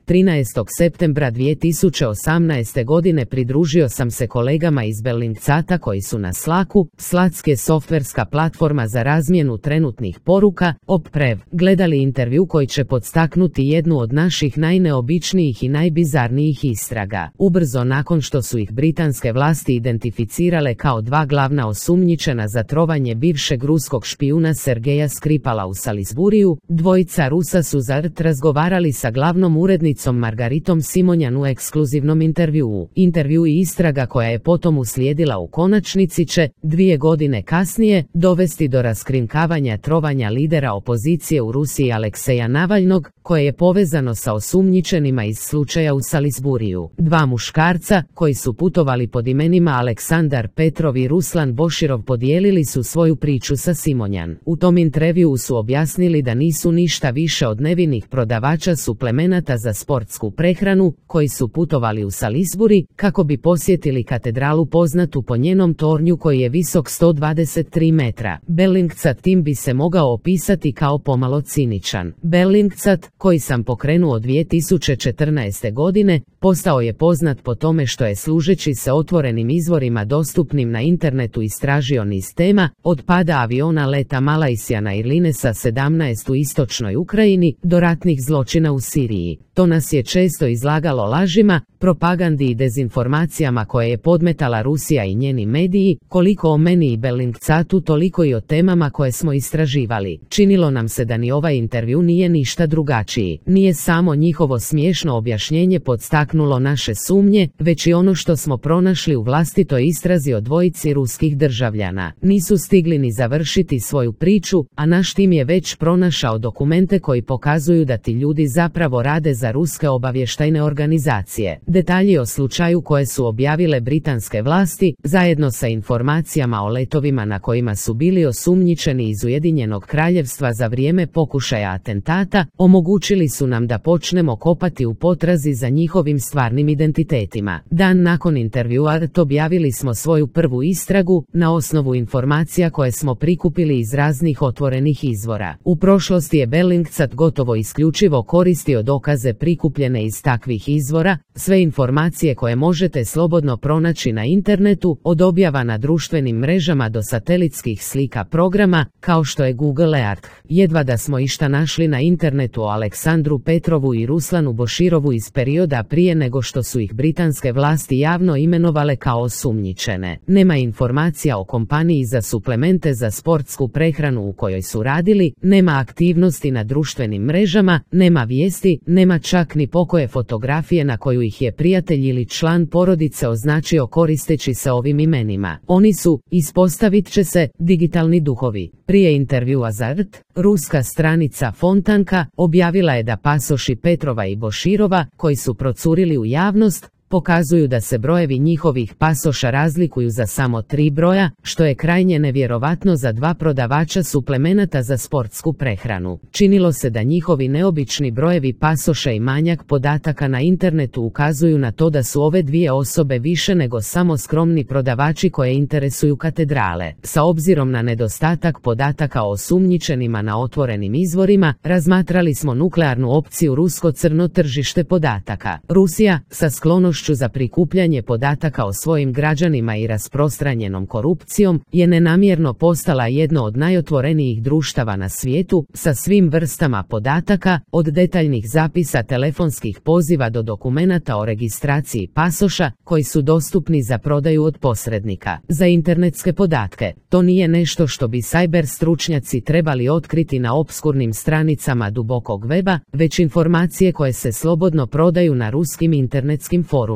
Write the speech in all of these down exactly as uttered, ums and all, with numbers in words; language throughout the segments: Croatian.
trinaestog septembra dvije tisuće osamnaeste. godine pridružio sam se kolegama iz Bellingcata koji su na Slacku, Slack je softverska platforma za razmjenu trenutnih poruka, Opprev, gledali intervju koji će podstaknuti jednu od naših najneobičnijih i najbizarnijih istraga. Ubrzo nakon što su ih britanske vlasti identificirale kao dva glavna osumnjičena za trovanje bivšeg ruskog špijuna Sergeja Skripala u Salisburiju, dvojica Rusa su za R T razgovarali sa glavnom urednicom Margaritom Simonjan u ekskluzivnom intervjuu. Intervju i istraga koja je potom uslijedila u konačnici će, dvije godine kasnije, dovesti do raskrinkavanja trovanja lidera opozicije u Rusiji Alekseja Navalnog, koje je povezano sa osumnjičenima iz slučaja u Salisburiju. Dva muškarca, koji su putovali pod imenima Aleksandar Petrov i Ruslan Boširov, podijelili su svoju priču sa Simonjan. U tom intervjuu su objasnili da nisu ništa više od nevinih prodavača suplemenata za sportsku prehranu, koji su putovali u Salisbury kako bi posjetili katedralu poznatu po njenom tornju koji je visok sto dvadeset tri metra. Bellingcat tim bi se mogao opisati kao pomalo ciničan. Bellingcat, koji sam pokrenuo dvije tisuće četrnaeste. godine, postao je poznat po tome što je služeći se otvorenim izvorima dostupnim na internetu istražio niz tema, od pada aviona leta Malaysian Airlinesa sedamnaest u istočnoj Ukrajini do ratnih zločina u Siriji. To nas je često izlagalo lažima, propagandi i dezinformacijama koje je podmetala Rusija i njeni mediji, koliko o meni i Bellingcatu toliko i o temama koje smo istraživali. Činilo nam se da ni ovaj intervju nije ništa drugačiji. Nije samo njihovo smiješno objašnjenje podstaknulo naše sumnje, već i ono što smo pronašli u vlastitoj istrazi o dvojici ruskih državljana. Nisu stigli ni završiti svoju priču, a naš tim je već pronašao dokumente koji pokazuju da ti ljudi zapravo rade za ruske obavještajne organizacije. Detalji o slučaju koje su objavile britanske vlasti, zajedno sa informacijama o letovima na kojima su bili osumnjičeni iz Ujedinjenog Kraljevstva za vrijeme pokušaja atentata, omogućili su nam da počnemo kopati u potrazi za njihovim stvarnim identitetima. Dan nakon intervjua R T objavili smo svoju prvu istragu, na osnovu informacija koje smo prikupili iz raznih otvorenih izvora. U prošlosti je Bellingcat gotovo isključivo koristio dokaze prikupljene iz takvih izvora, sve informacije koje možete slobodno pronaći na internetu, od objava na društvenim mrežama do satelitskih slika programa, kao što je Google Earth. Jedva da smo išta našli na internetu o Aleksandru Petrovu i Ruslanu Boširovu iz perioda prije nego što su ih britanske vlasti javno imenovale kao osumnjičene. Nema informacija o kompaniji za suplemente za sportsku prehranu u kojoj su radili, nema aktivnosti na društvenim mrežama, nema vijesti, nema čak ni pokoje fotografije na koju ih je prijatelj ili član porodice označio koristeći se ovim imenima. Oni su, ispostavit će se, digitalni duhovi. Prije intervjua za R T, ruska stranica Fontanka objavila je da pasoši Petrova i Boširova, koji su procurili u javnost, pokazuju da se brojevi njihovih pasoša razlikuju za samo tri broja, što je krajnje nevjerovatno za dva prodavača suplemenata za sportsku prehranu. Činilo se da njihovi neobični brojevi pasoša i manjak podataka na internetu ukazuju na to da su ove dvije osobe više nego samo skromni prodavači koje interesuju katedrale. Sa obzirom na nedostatak podataka o osumnjičenima na otvorenim izvorima, razmatrali smo nuklearnu opciju rusko crno tržište podataka. Rusija, sa sklonošću za prikupljanje podataka o svojim građanima i rasprostranjenom korupcijom, je nenamjerno postala jedno od najotvorenijih društava na svijetu, sa svim vrstama podataka, od detaljnih zapisa telefonskih poziva do dokumenata o registraciji pasoša, koji su dostupni za prodaju od posrednika. Za internetske podatke, to nije nešto što bi sajber stručnjaci trebali otkriti na opskurnim stranicama dubokog weba, već informacije koje se slobodno prodaju na ruskim internetskim forumima.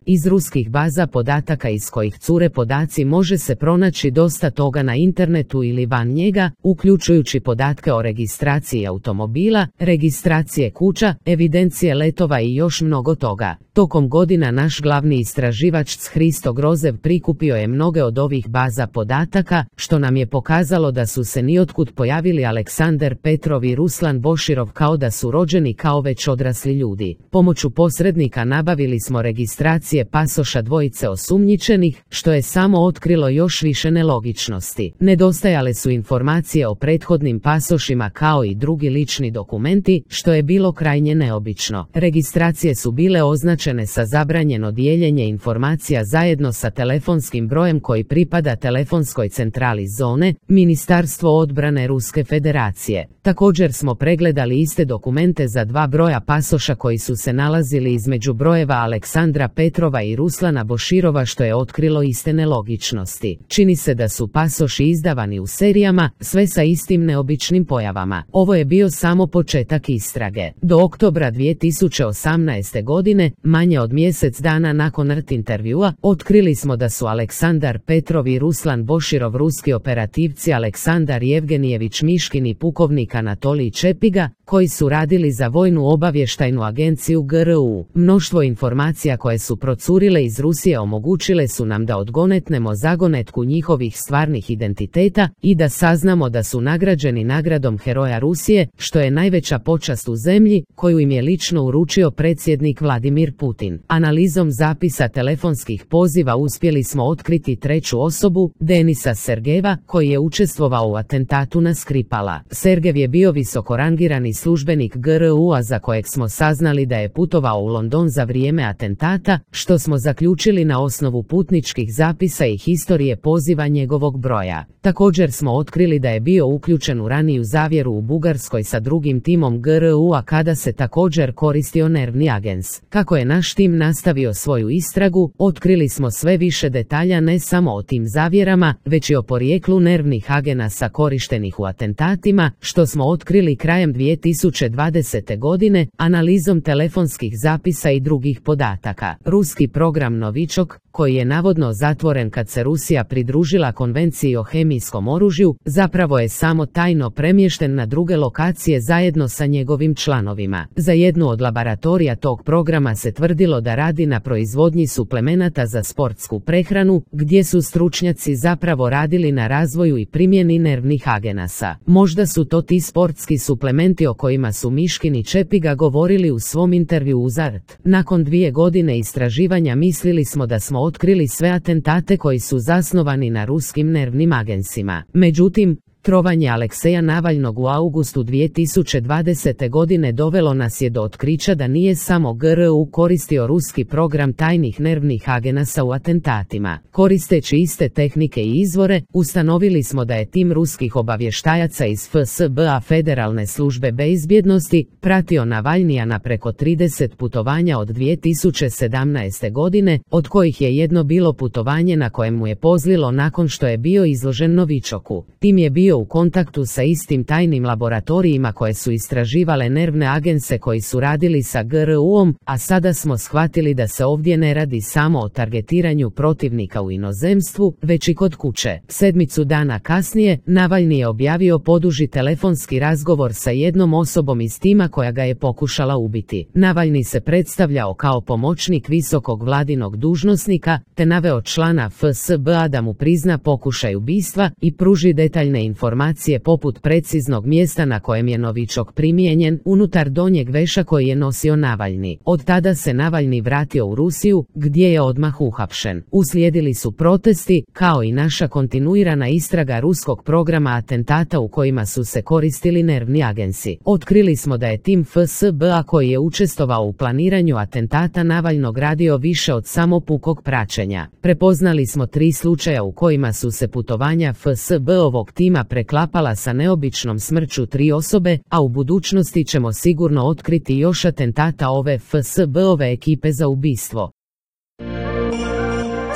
Iz ruskih baza podataka iz kojih cure podaci može se pronaći dosta toga na internetu ili van njega, uključujući podatke o registraciji automobila, registracije kuća, evidencije letova i još mnogo toga. Tokom godina naš glavni istraživač Hristo Grozev prikupio je mnoge od ovih baza podataka, što nam je pokazalo da su se niotkud pojavili Aleksandar Petrov i Ruslan Boširov kao da su rođeni kao već odrasli ljudi. Pomoću posrednika nabavili smo registracije pasoša dvojice osumnjičenih, što je samo otkrilo još više nelogičnosti. Nedostajale su informacije o prethodnim pasošima kao i drugi lični dokumenti, što je bilo krajnje neobično. Registracije su bile označene sa zabranjeno dijeljenje informacija zajedno sa telefonskim brojem koji pripada telefonskoj centrali zone, Ministarstvo odbrane Ruske federacije. Također smo pregledali iste dokumente za dva broja pasoša koji su se nalazili između brojeva Aleksandra Petrova i Ruslana Boširova, što je otkrilo iste nelogičnosti. Čini se da su pasoši izdavani u serijama, sve sa istim neobičnim pojavama. Ovo je bio samo početak istrage. Do oktobra dvije tisuće osamnaeste. godine, manje od mjesec dana nakon R T intervjua, otkrili smo da su Aleksandar Petrov i Ruslan Boširov ruski operativci Aleksandar Jevgenijević Miškin i pukovnik Anatolij Čepiga, koji su radili za vojnu obavještajnu agenciju G R U. Mnoštvo informacija koje su procurile iz Rusije omogućile su nam da odgonetnemo zagonetku njihovih stvarnih identiteta i da saznamo da su nagrađeni nagradom Heroja Rusije, što je najveća počast u zemlji, koju im je lično uručio predsjednik Vladimir Putin. Analizom zapisa telefonskih poziva uspjeli smo otkriti treću osobu, Denisa Sergejeva, koji je učestvovao u atentatu na Skripala. Sergev je bio visokorangirani službenik G R U-a za kojeg smo saznali da je putovao u London za vrijeme atentata, što smo zaključili na osnovu putničkih zapisa i historije poziva njegovog broja. Također smo otkrili da je bio uključen u raniju zavjeru u Bugarskoj sa drugim timom G R U-a kada se također koristio nervni agens. Kako je naš tim nastavio svoju istragu, otkrili smo sve više detalja ne samo o tim zavjerama, već i o porijeklu nervnih agenasa korištenih u atentatima, što smo otkrili krajem dvije tisuće dvadesete. godine, analizom telefonskih zapisa i drugih podataka. Ruski program Novičok, koji je navodno zatvoren kad se Rusija pridružila konvenciji o hemijskom oružju, zapravo je samo tajno premješten na druge lokacije zajedno sa njegovim članovima. Za jednu od laboratorija tog programa se tvrdilo da radi na proizvodnji suplemenata za sportsku prehranu, gdje su stručnjaci zapravo radili na razvoju i primjeni nervnih agenasa. Možda su to ti sportski suplementi o kojima su Miškin i Čepiga govorili u svom intervju uz R T. Nakon dvije godine istraživanja mislili smo da smo otkrili sve atentate koji su zasnovani na ruskim nervnim agensima. Međutim, trovanje Alekseja Navalnog u augustu dvije tisuće dvadesete. godine dovelo nas je do otkrića da nije samo G R U koristio ruski program tajnih nervnih agenasa u atentatima. Koristeći iste tehnike i izvore, ustanovili smo da je tim ruskih obavještajaca iz F S B-a Federalne službe bezbjednosti pratio Navalnija na preko trideset putovanja od dvije tisuće sedamnaeste. godine, od kojih je jedno bilo putovanje na kojem mu je pozlilo nakon što je bio izložen Novičoku. Tim je bio u kontaktu sa istim tajnim laboratorijima koje su istraživale nervne agense koji su radili sa G R U-om, a sada smo shvatili da se ovdje ne radi samo o targetiranju protivnika u inozemstvu, već i kod kuće. Sedmicu dana kasnije, Navalni je objavio poduži telefonski razgovor sa jednom osobom iz tima koja ga je pokušala ubiti. Navalni se predstavljao kao pomoćnik visokog vladinog dužnosnika, te naveo člana F S B-a da mu prizna pokušaj ubistva i pruži detaljne informacije informacije poput preciznog mjesta na kojem je Novičok primijenjen unutar donjeg veša koji je nosio Navalni. Od tada se Navalni vratio u Rusiju, gdje je odmah uhapšen. Uslijedili su protesti, kao i naša kontinuirana istraga ruskog programa atentata u kojima su se koristili nervni agensi. Otkrili smo da je tim F S B-a koji je učestvovao u planiranju atentata Navalnog radio više od samo pukog praćenja. Prepoznali smo tri slučaja u kojima su se putovanja F S B-ovog tima preklapala sa neobičnom smrću tri osobe, a u budućnosti ćemo sigurno otkriti još atentata ove F S B-ove ekipe za ubistvo.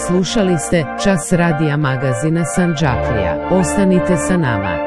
Slušali ste Čas radija magazina Sandžaklija. Ostanite sa nama.